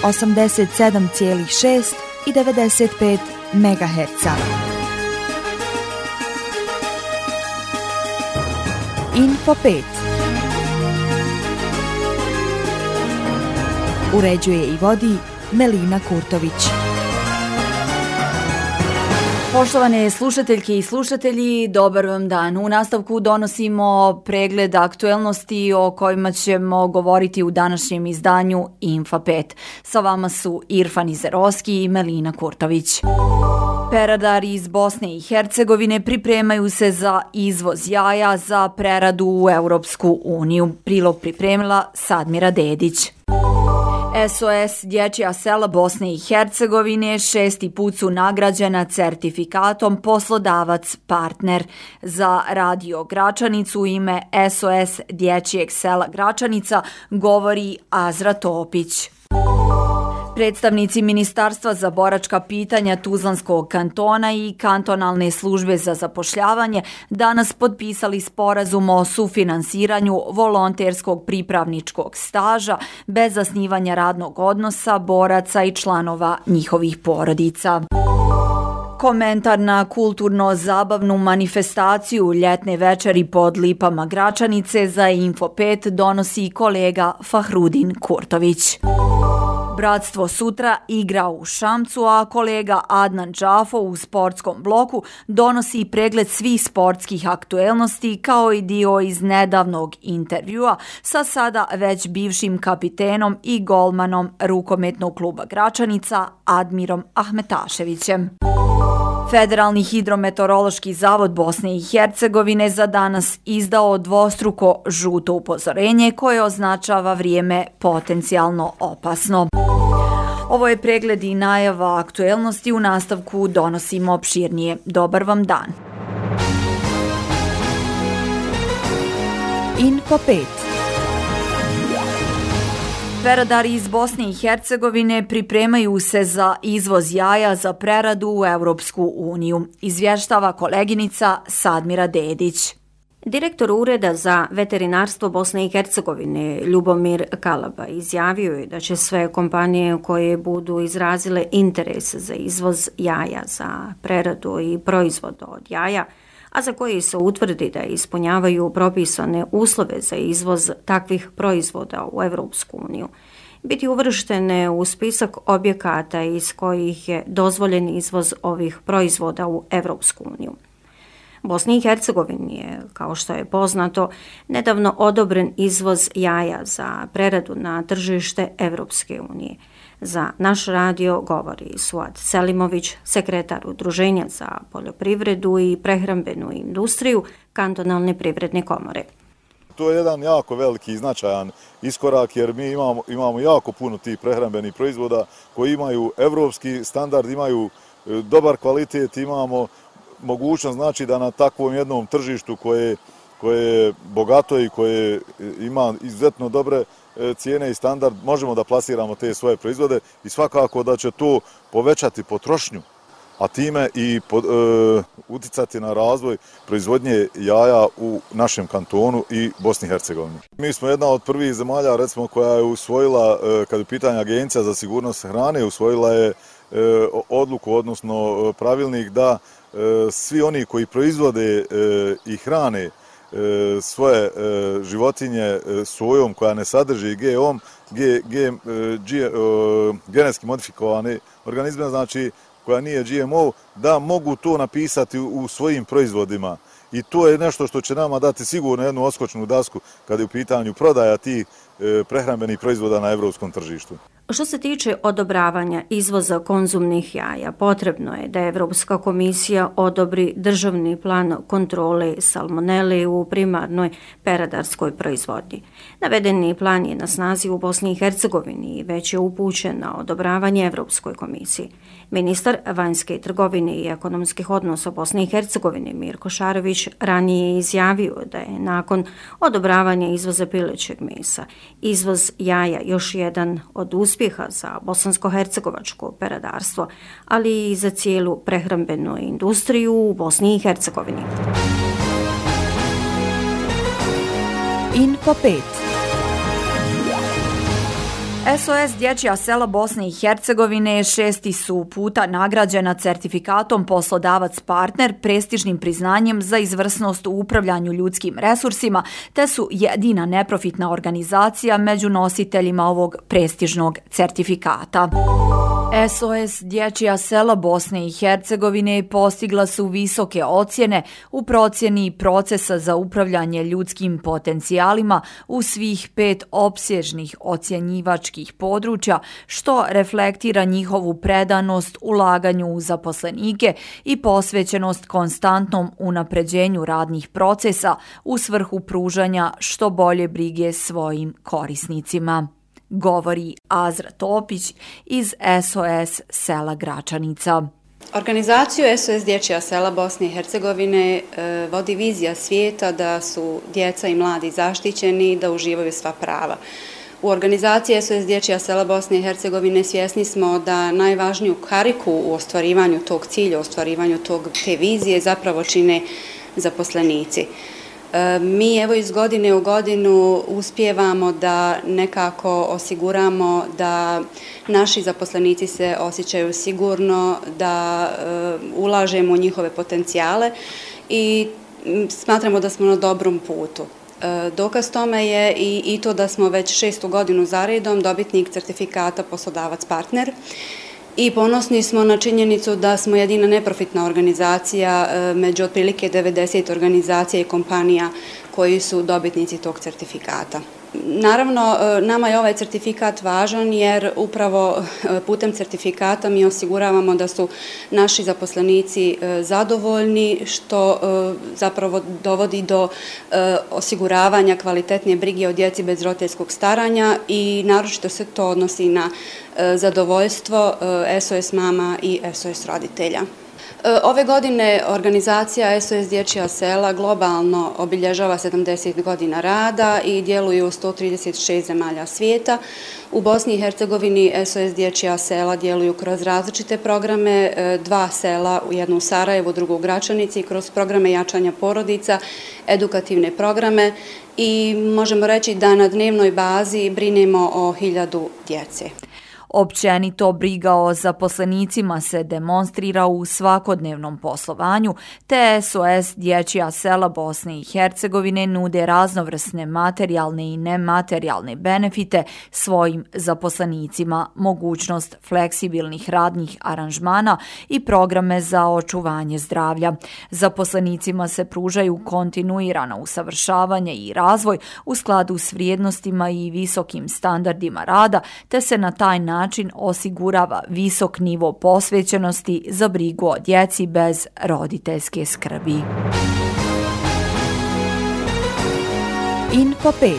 87,6 i 95 MHz. Info 5. Uređuje i vodi Melina Kurtović. Poštovane slušateljke i slušatelji, dobar vam dan. U nastavku donosimo pregled aktuelnosti o kojima ćemo govoriti u današnjem izdanju Info 5. Sa vama su Irfan Izerovski i Melina Kurtović. Peradari iz Bosne i Hercegovine pripremaju se za izvoz jaja za preradu u Europsku uniju. Prilog pripremila Sadmira Dedić. SOS Dječja sela Bosne i Hercegovine 6. put su nagrađena certifikatom Poslodavac partner. Za Radio Gračanicu u ime SOS Dječjeg sela Gračanica govori Azra Topić. Predstavnici Ministarstva za boračka pitanja Tuzlanskog kantona i kantonalne službe za zapošljavanje danas potpisali sporazum o sufinansiranju volonterskog pripravničkog staža bez zasnivanja radnog odnosa boraca i članova njihovih porodica. Komentar na kulturno-zabavnu manifestaciju ljetne večeri pod lipama Gračanice za Info 5 donosi kolega Fahrudin Kurtović. Bratstvo sutra igra u Šamcu, a kolega Adnan Džafo u sportskom bloku donosi pregled svih sportskih aktuelnosti kao i dio iz nedavnog intervjua sa sada već bivšim kapitenom i golmanom rukometnog kluba Gračanica Admirom Ahmetaševićem. Federalni hidrometeorološki zavod Bosne i Hercegovine za danas izdao dvostruko žuto upozorenje koje označava vrijeme potencijalno opasno. Ovo je pregled i najava aktuelnosti, u nastavku donosimo opširnije. Dobar vam dan. Info 5. Peradari iz Bosne i Hercegovine pripremaju se za izvoz jaja za preradu u Europsku uniju, izvještava koleginica Sadmira Dedić. Direktor Ureda za veterinarstvo Bosne i Hercegovine Ljubomir Kalaba izjavio je da će sve kompanije koje budu izrazile interes za izvoz jaja za preradu i proizvoda od jaja, a za koje se utvrdi da ispunjavaju propisane uslove za izvoz takvih proizvoda u Europsku uniju, biti uvrštene u spisak objekata iz kojih je dozvoljen izvoz ovih proizvoda u Europsku uniju. Bosni i Hercegovini je, kao što je poznato, nedavno odobren izvoz jaja za preradu na tržište Evropske unije. Za naš radio govori Suad Selimović, sekretar Udruženja za poljoprivredu i prehrambenu industriju Kantonalne privredne komore. To je jedan jako veliki i značajan iskorak jer mi imamo jako puno tih prehrambenih proizvoda koji imaju evropski standard, imaju dobar kvalitet, imamo mogućnost znači da na takvom jednom tržištu koje je bogato i koje ima izuzetno dobre cijene i standard možemo da plasiramo te svoje proizvode i svakako da će to povećati potrošnju, a time i uticati na razvoj proizvodnje jaja u našem kantonu i Bosni i Hercegovini. Mi smo jedna od prvih zemalja recimo koja je usvojila, kad je pitanje Agencija za sigurnost hrane, usvojila je odluku, odnosno pravilnik da svi oni koji proizvode i hrane svoje životinje sojom koja ne sadrži genetski modifikovane organizme, znači koja nije GMO, da mogu to napisati u svojim proizvodima. I to je nešto što će nama dati sigurno jednu odskočnu dasku kada je u pitanju prodaja tih prehrambenih proizvoda na evropskom tržištu. Što se tiče odobravanja izvoza konzumnih jaja, potrebno je da Evropska komisija odobri državni plan kontrole salmonele u primarnoj peradarskoj proizvodnji. Navedeni plan je na snazi u Bosni i Hercegovini i već je upućen na odobravanje Evropskoj komisiji. Ministar vanjske trgovine i ekonomskih odnosa Bosne i Hercegovine Mirko Šarović ranije je izjavio da je nakon odobravanja izvoza pilećeg mesa izvoz jaja još jedan od uspjeha za bosansko-hercegovačko peradarstvo, ali i za cijelu prehrambenu industriju u Bosni i Hercegovini. Info 5. SOS Dječja sela Bosne i Hercegovine 6. su puta nagrađena certifikatom Poslodavac partner, prestižnim priznanjem za izvrsnost u upravljanju ljudskim resursima, te su jedina neprofitna organizacija među nositeljima ovog prestižnog certifikata. SOS Dječja sela Bosne i Hercegovine postigla su visoke ocjene u procjeni procesa za upravljanje ljudskim potencijalima u svih 5 opsežnih ocjenjivačkih područja, što reflektira njihovu predanost ulaganju u zaposlenike i posvećenost konstantnom unapređenju radnih procesa u svrhu pružanja što bolje brige svojim korisnicima. Govori Azra Topić iz SOS sela Gračanica. Organizaciju SOS Dječja sela Bosne i Hercegovine vodi vizija svijeta da su djeca i mladi zaštićeni i da uživaju sva prava. U organizaciji SOS Dječja sela Bosne i Hercegovine svjesni smo da najvažniju kariku u ostvarivanju tog cilja, u ostvarivanju te vizije zapravo čine zaposlenici. Mi evo iz godine u godinu uspijevamo da nekako osiguramo da naši zaposlenici se osjećaju sigurno, da ulažemo u njihove potencijale i smatramo da smo na dobrom putu. Dokaz tome je i to da smo već 6. godinu za redom dobitnik certifikata Poslodavac partner. I ponosni smo na činjenicu da smo jedina neprofitna organizacija među otprilike 90 organizacija i kompanija koji su dobitnici tog certifikata. Naravno, nama je ovaj certifikat važan jer upravo putem certifikata mi osiguravamo da su naši zaposlenici zadovoljni, što zapravo dovodi do osiguravanja kvalitetnije brige o djeci bez roditeljskog staranja i naročito se to odnosi na zadovoljstvo SOS mama i SOS roditelja. Ove godine organizacija SOS Dječja sela globalno obilježava 70 godina rada i djeluje u 136 zemalja svijeta. U Bosni i Hercegovini SOS Dječja sela djeluju kroz različite programe, 2 sela, jedno u Sarajevu, drugo u Gračanici, kroz programe jačanja porodica, edukativne programe i možemo reći da na dnevnoj bazi brinemo o 1000 djece. Općenito briga o zaposlenicima se demonstrira u svakodnevnom poslovanju, te SOS Dječja sela Bosne i Hercegovine nude raznovrsne materijalne i nematerijalne benefite svojim zaposlenicima, mogućnost fleksibilnih radnih aranžmana i programe za očuvanje zdravlja. Zaposlenicima se pružaju kontinuirano usavršavanje i razvoj u skladu s vrijednostima i visokim standardima rada, te se na taj način osigurava visok nivo posvećenosti za brigu o djeci bez roditeljske skrbi. Info 5.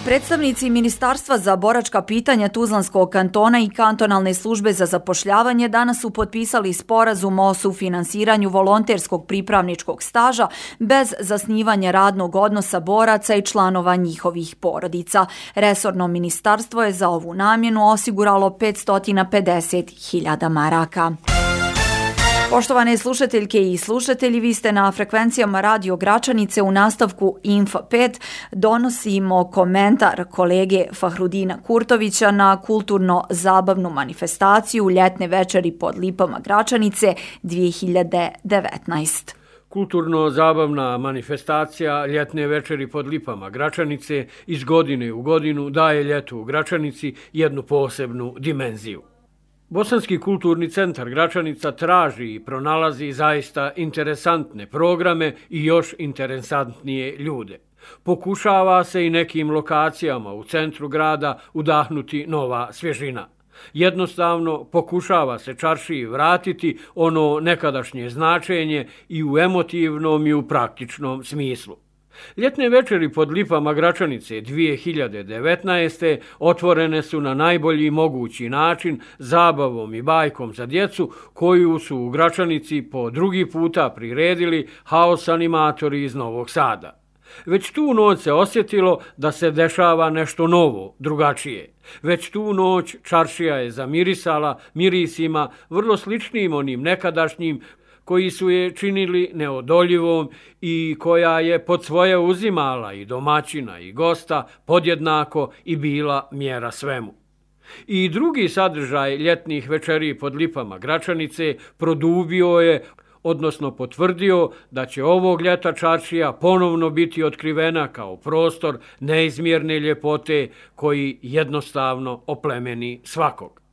Predstavnici Ministarstva za boračka pitanja Tuzlanskog kantona i kantonalne službe za zapošljavanje danas su potpisali sporazum o sufinansiranju volonterskog pripravničkog staža bez zasnivanja radnog odnosa boraca i članova njihovih porodica. Resorno ministarstvo je za ovu namjenu osiguralo 550.000 maraka. Poštovane slušateljke i slušatelji, vi ste na frekvencijama Radio Gračanice. U nastavku Info 5 donosimo komentar kolege Fahrudina Kurtovića na kulturno-zabavnu manifestaciju Ljetne večeri pod lipama Gračanice 2019. Kulturno-zabavna manifestacija Ljetne večeri pod lipama Gračanice iz godine u godinu daje ljetu u Gračanici jednu posebnu dimenziju. Bosanski kulturni centar Gračanica traži i pronalazi zaista interesantne programe i još interesantnije ljude. Pokušava se i nekim lokacijama u centru grada udahnuti nova svježina. Jednostavno pokušava se čaršiji vratiti ono nekadašnje značenje i u emotivnom i u praktičnom smislu. Ljetne večeri pod lipama Gračanice 2019. otvorene su na najbolji mogući način zabavom i bajkom za djecu koju su u Gračanici po drugi puta priredili haos animatori iz Novog Sada. Već tu noć se osjetilo da se dešava nešto novo, drugačije. Već tu noć čaršija je zamirisala mirisima vrlo sličnim onim nekadašnjim koji su je činili neodoljivom i koja je pod svoje uzimala i domaćina i gosta podjednako i bila mjera svemu. I drugi sadržaj ljetnih večeri pod lipama Gračanice produbio je, odnosno potvrdio da će ovog ljeta čaršija ponovno biti otkrivena kao prostor neizmjerne ljepote koji jednostavno oplemeni svakog.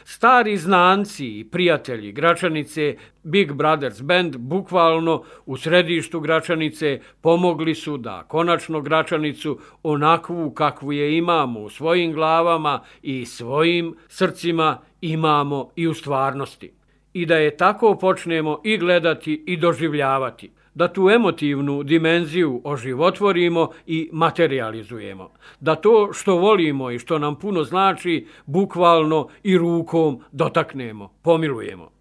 Stari znanci i prijatelji Gračanice, Big Brothers Band, bukvalno u središtu Gračanice pomogli su da konačno Gračanicu onakvu kakvu je imamo u svojim glavama i svojim srcima imamo i u stvarnosti. I da je tako počnemo i gledati i doživljavati, da tu emotivnu dimenziju oživotvorimo i materializujemo, da to što volimo i što nam puno znači bukvalno i rukom dotaknemo, pomilujemo.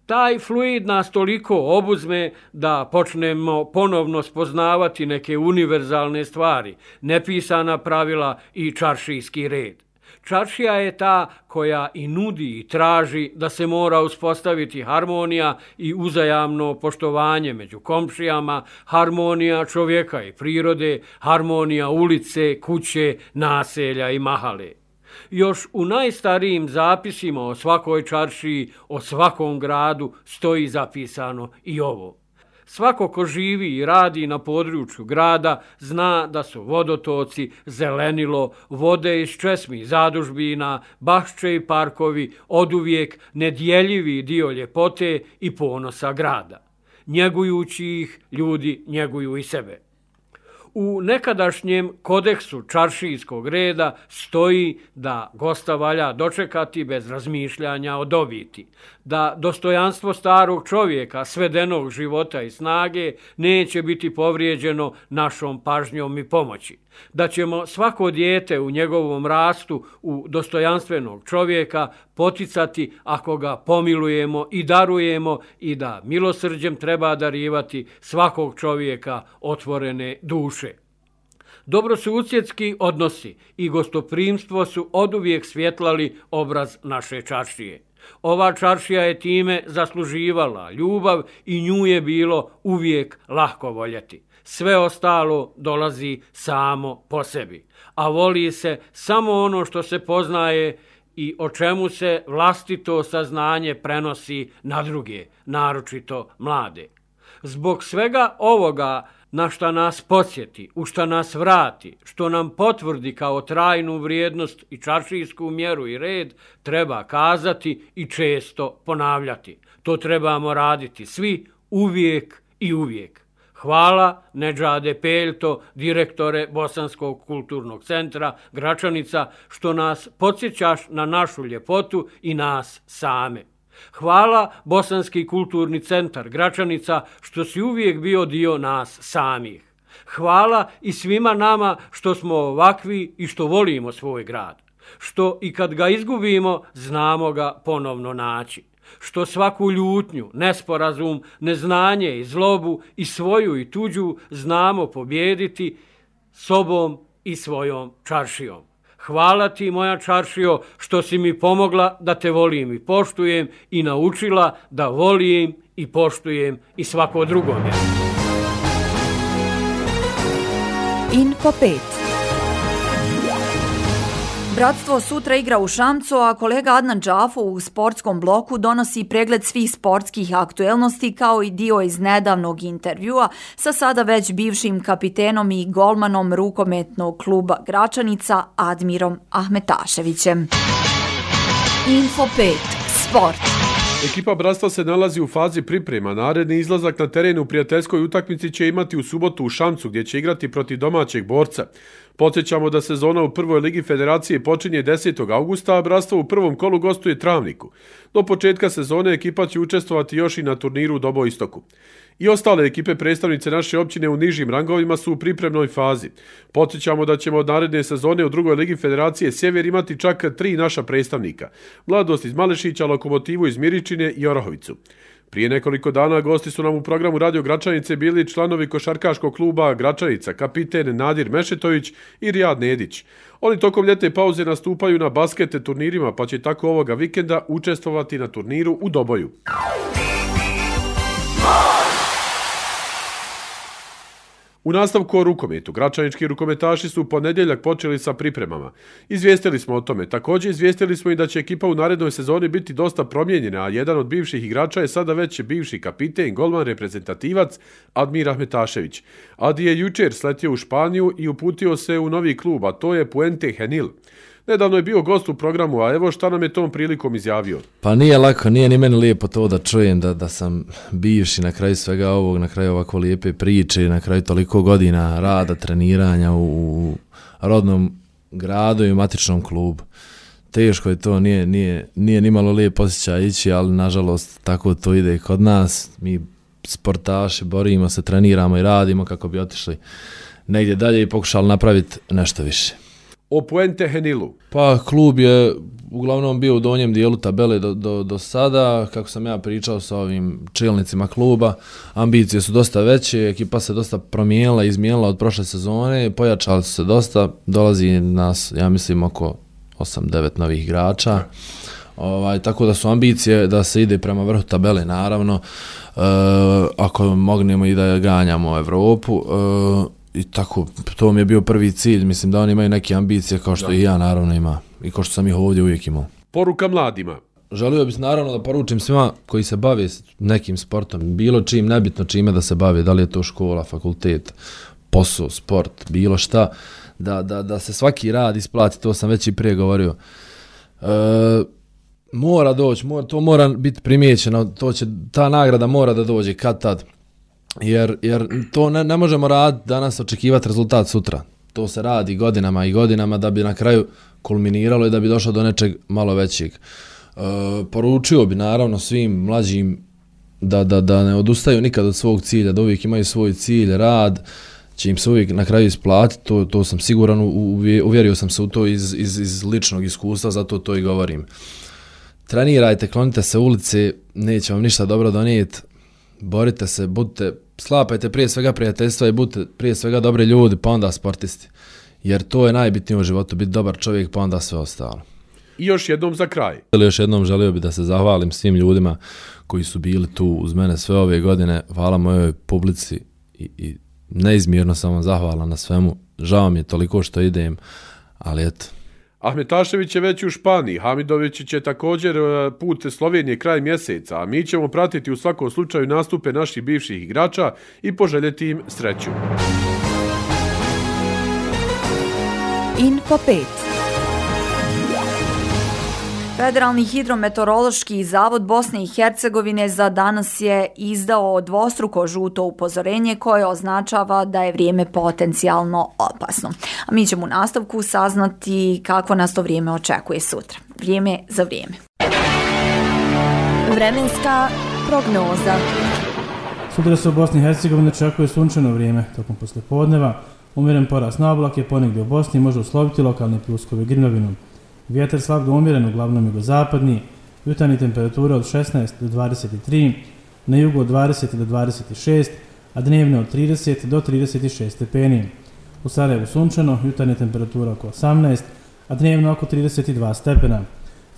Taj fluid nas toliko obuzme da počnemo ponovno spoznavati neke univerzalne stvari, nepisana pravila i čaršijski red. Čaršija je ta koja i nudi i traži da se mora uspostaviti harmonija i uzajamno poštovanje među komšijama, harmonija čovjeka i prirode, harmonija ulice, kuće, naselja i mahale. Još u najstarijim zapisima o svakoj čaršiji, o svakom gradu stoji zapisano i ovo. Svako ko živi i radi na području grada zna da su vodotoci, zelenilo, vode iz česmi i zadužbina, bašče i parkovi oduvijek nedjeljivi dio ljepote i ponosa grada. Njegujući ih, ljudi njeguju i sebe. U nekadašnjem kodeksu čaršijskog reda stoji da gosta valja dočekati bez razmišljanja o dobiti, da dostojanstvo starog čovjeka, svedenog života i snage neće biti povrijeđeno našom pažnjom i pomoći, da ćemo svako dijete u njegovom rastu u dostojanstvenog čovjeka poticati ako ga pomilujemo i darujemo i da milosrđem treba darivati svakog čovjeka otvorene duše. Dobrosusjedski odnosi i gostoprimstvo su oduvijek svjetlali obraz naše čaršije. Ova čaršija je time zasluživala ljubav i nju je bilo uvijek lahko voljeti. Sve ostalo dolazi samo po sebi, a voli se samo ono što se poznaje i o čemu se vlastito saznanje prenosi na druge, naročito mlade. Zbog svega ovoga na šta nas podsjeti, u šta nas vrati, što nam potvrdi kao trajnu vrijednost i čaršijsku mjeru i red, treba kazati i često ponavljati. To trebamo raditi svi, uvijek i uvijek. Hvala Nedžade Peljto, direktore Bosanskog kulturnog centra Gračanica, što nas podsjećaš na našu ljepotu i nas same. Hvala Bosanski kulturni centar Gračanica što si uvijek bio dio nas samih. Hvala i svima nama što smo ovakvi i što volimo svoj grad. Što i kad ga izgubimo, znamo ga ponovno naći. Što svaku ljutnju, nesporazum, neznanje i zlobu i svoju i tuđu znamo pobijediti sobom i svojom čaršijom. Hvala ti, moja čaršijo, što si mi pomogla da te volim i poštujem i naučila da volim i poštujem i svako drugome. Info 5. Bratstvo sutra igra u Šamcu, a kolega Adnan Džafo u sportskom bloku donosi pregled svih sportskih aktuelnosti kao i dio iz nedavnog intervjua sa sada već bivšim kapitenom i golmanom rukometnog kluba Gračanica Admirom Ahmetaševićem. Info 5. Sport. Ekipa Bratstva se nalazi u fazi priprema. Naredni izlazak na teren u prijateljskoj utakmici će imati u subotu u Šamcu, gdje će igrati protiv domaćeg borca. Podsjećamo da sezona u prvoj ligi federacije počinje 10. augusta, a Bratstvo u prvom kolu gostuje Travniku. Do početka sezone ekipa će učestvovati još i na turniru u Doboistoku. I ostale ekipe predstavnice naše općine u nižim rangovima su u pripremnoj fazi. Podsjećamo da ćemo od naredne sezone u drugoj ligi federacije Sjever imati čak 3 naša predstavnika. Mladost iz Malešića, Lokomotivu iz Miričine i Orahovicu. Prije nekoliko dana gosti su nam u programu Radio Gračanice bili članovi košarkaškog kluba Gračanica, kapiten Nadir Mešetović i Rijad Nedić. Oni tokom ljetne pauze nastupaju na baskete turnirima, pa će tako ovoga vikenda učestvovati na turniru u Doboju. U nastavku o rukometu, gračanički rukometaši su u ponedjeljak počeli sa pripremama. Izvijestili smo o tome. Također izvijestili smo i da će ekipa u narednoj sezoni biti dosta promijenjena, a jedan od bivših igrača je sada već bivši kapiten, golman, reprezentativac Admir Ahmetašević. Adi je jučer sletio u Španiju i uputio se u novi klub, a to je Puente Genil. Nedavno je bio gost u programu, a evo šta nam je tom prilikom izjavio. Pa nije lako, nije ni meni lijepo to da čujem da sam bivši na kraju svega ovog, na kraju ovako lijepe priče, na kraju toliko godina rada, treniranja u rodnom gradu i u matičnom klubu. Teško je to, nije ni malo lijep osjećaj ići, ali nažalost tako to ide i kod nas. Mi sportaši borimo se, treniramo i radimo kako bi otišli negdje dalje i pokušali napraviti nešto više. O Puente Genilu. Pa klub je uglavnom bio u donjem dijelu tabele do sada, kako sam ja pričao sa ovim čelnicima kluba, ambicije su dosta veće, ekipa se dosta promijenila, izmijenila od prošle sezone, pojačali su se dosta, dolazi nas, ja mislim, oko 8-9 novih igrača, tako da su ambicije da se ide prema vrhu tabele, naravno, ako mognemo i da ganjamo Evropu, i tako, to mi je bio prvi cilj, mislim da oni imaju neke ambicije kao što i ja naravno imam i kao što sam ih ovdje uvijek imao. Poruka mladima. Želio bih naravno da poručim svima koji se bave nekim sportom, bilo čim, nebitno čime da se bave, da li je to škola, fakultet, posao, sport, bilo šta, da se svaki rad isplati, to sam već i prije govorio. Mora doći, to mora biti primijećeno, ta nagrada mora da dođe kad tad. Jer to ne možemo raditi danas, očekivati rezultat sutra. To se radi godinama i godinama da bi na kraju kulminiralo i da bi došlo do nečeg malo većeg. Poručio bi naravno svim mlađim da ne odustaju nikad od svog cilja, da uvijek imaju svoj cilj, rad, će im se uvijek na kraju isplatiti, to sam siguran, uvjerio sam se u to iz ličnog iskustva, zato to i govorim. Trenirajte, klonite se ulici, neće vam ništa dobro donijeti. Borite se, sklapajte prije svega prijateljstva i budite prije svega dobri ljudi, pa onda sportisti. Jer to je najbitnije u životu, biti dobar čovjek, pa onda sve ostalo. I još jednom za kraj. Još jednom želio bih da se zahvalim svim ljudima koji su bili tu uz mene sve ove godine. Hvala mojoj publici i neizmjerno sam vam zahvalan na svemu. Žao mi je toliko što idem, ali eto. Ahmetašević je već u Španiji, Hamidović će također put Slovenije kraj mjeseca, a mi ćemo pratiti u svakom slučaju nastupe naših bivših igrača i poželjeti im sreću. Info 5. Federalni hidrometeorološki zavod Bosne i Hercegovine za danas je izdao dvostruko žuto upozorenje koje označava da je vrijeme potencijalno opasno. A mi ćemo u nastavku saznati kako nas to vrijeme očekuje sutra. Vrijeme za vrijeme. Vremenska prognoza. Sutra se u Bosni i Hercegovini očekuje sunčano vrijeme tokom poslijepodneva. Umjeren porast na oblake ponegdje u Bosni može usloviti lokalne pljuskove grmljavinom. Vjetar slab do umjeren, uglavnom jugozapadni, jutarnje temperature od 16 do 23, na jugu od 20 do 26, a dnevne od 30 do 36 stepeni. U Sarajevu sunčano, jutarnje temperatura oko 18, a dnevno oko 32 stepena.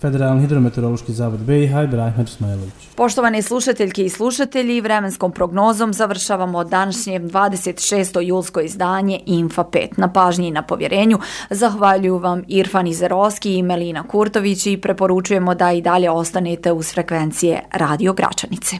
Federalni hidrometeorološki zavod BiH i Brahimir Ismailović. Poštovane slušateljke i slušatelji, vremenskom prognozom završavamo današnje 26. julsko izdanje Infa 5. Na pažnji i na povjerenju zahvaljuju vam Irfan Izerovski i Melina Kurtović i preporučujemo da i dalje ostanete uz frekvencije Radio Gračanice.